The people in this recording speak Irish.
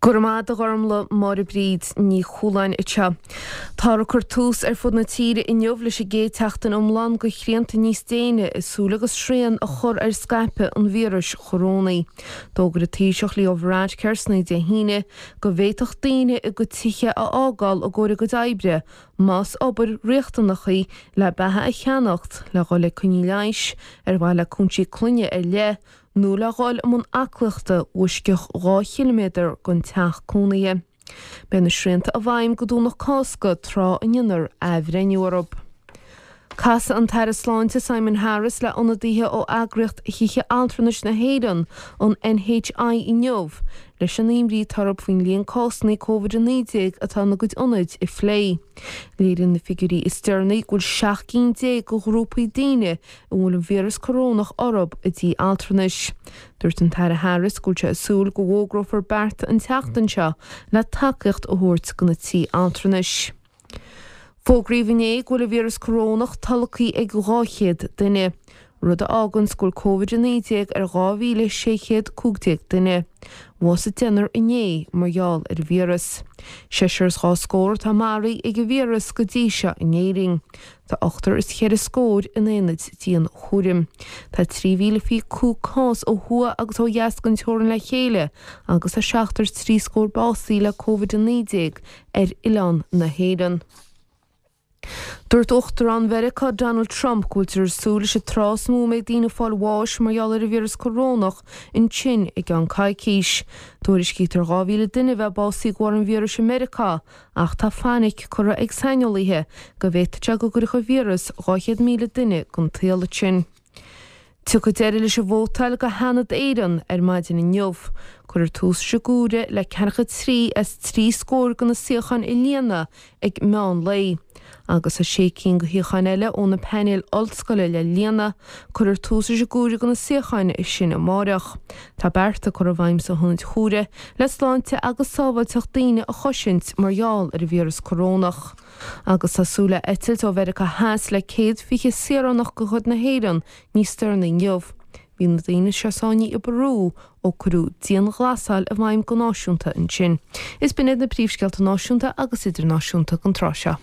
Go raibh maith agat a Ghormlaith, Máire Bríd Ní Chualáin anseo. Táthar ag cur tús ar fud na tíre inniu leis an gcéad tseachtain iomlán de shrianta níos déine i súil agus srian a chur ar scaipeadh an víris chorónaigh. D'fhógair an Taoiseach Leo Varadkar san oíche Dé hAoine go bhféadfadh daoine a gcuid tithe a fhágáil i gcomhair a gcuid oibre más obair riachtanach í le beatha a cheannacht, le dhul ag coinní leighis, ar mhaithe le cúinsí clainne ar leith, nó le dhul i mbun aclaíochta laistigh 2 chiliméadar den teach cónaithe. Beidh na srianta i bhfeidhm go Domhnach Cásca tráth a ndéanfar athbhreithniú orthu. Casfaidh an tAire Sláinte Simon Harris le ionadaithe ó eagraíocht thithe altranais na hÉireann, an NHI, inniu leis an imní atá orthu faoin líon cásanna Covid-19 atá ina gcuid ionaid a phlé. Léiríonn na figiúirí is deireanaí go bhfuil 17 cinn de ghrúpaí daoine a bhfuil an víreas corónach orthu i dtithe altranais. Dúirt an tAire Harris go bhfuil sé ag súil go bhfógrófar bearta an tseachtain seo le tacaíocht a thabhairt do na tithe altranais. Fógraíodh inné go bhfuil an víreas corónach tolgtha ag 200 duine, rud a fháganns go bhfuil Covid-19 ar 2,615 duine. Bhásaigh deichniúr inné mar gheall ar an víreas. Seisear is dhá scór atá maraithe ag an víreas go dtí seo in Éirinn. Tá ochtar is cheithre scór in aonaid dianchúraim. Tá 3,025 cás ó thuaidh agus ó dheas den teorainn le chéile agus tá seachtar is trí scór básaithe le Covid-19 ar oileán na hÉireann. Dúirt Uachtarán Mheiriceá Donald Trump go bhfuiltear ag súil leis an tráth is mó a mbeidh daoine ag fáil bháis mar gheall ar an víreas corónach ansin i gceann coicís. Tuairiscítear 2,000 duine a bheith básaithe de bharr an víris i Meiriceá Ach tá fainic curtha ag saineolaithe go bhféadfadh sé go gcuirfeadh an víreas 200,000 duine den tsaol ansin. Tiocfaidh deireadh leis an vótáil do Sheanad Éireann ar maidin inniu. Cuirfear tús leis an gcomhaireamh le ceathracha trí as trí scór de na suíocháin a líonadh ag meán lae. Agus tá sé cinn de shuíocháin eile ó na painéil ollscoile le líonadh. Cuirfear tús leis an gcomhaireamh do na suíocháin sin amáireach. Tá bearta curtha i bhfeidhm sna hionaid chomhairimh le sláinte agus sábháilteacht daoine a chosaint mar gheall ar an víreas corónach. Agus tá súil le eitilt ó Mheiriceá Theas le 120 saoránach de chuid na hÉireann níos deireanaí inniu. Bhí na daoine seo sáinnithe i bPeru ó cuireadh dianghlasáil i bhfeidhm go náisiúnta ansin. Is b'in iad na príomhscéalta náisiúnta agus idirnáisiúnta don tráth seo.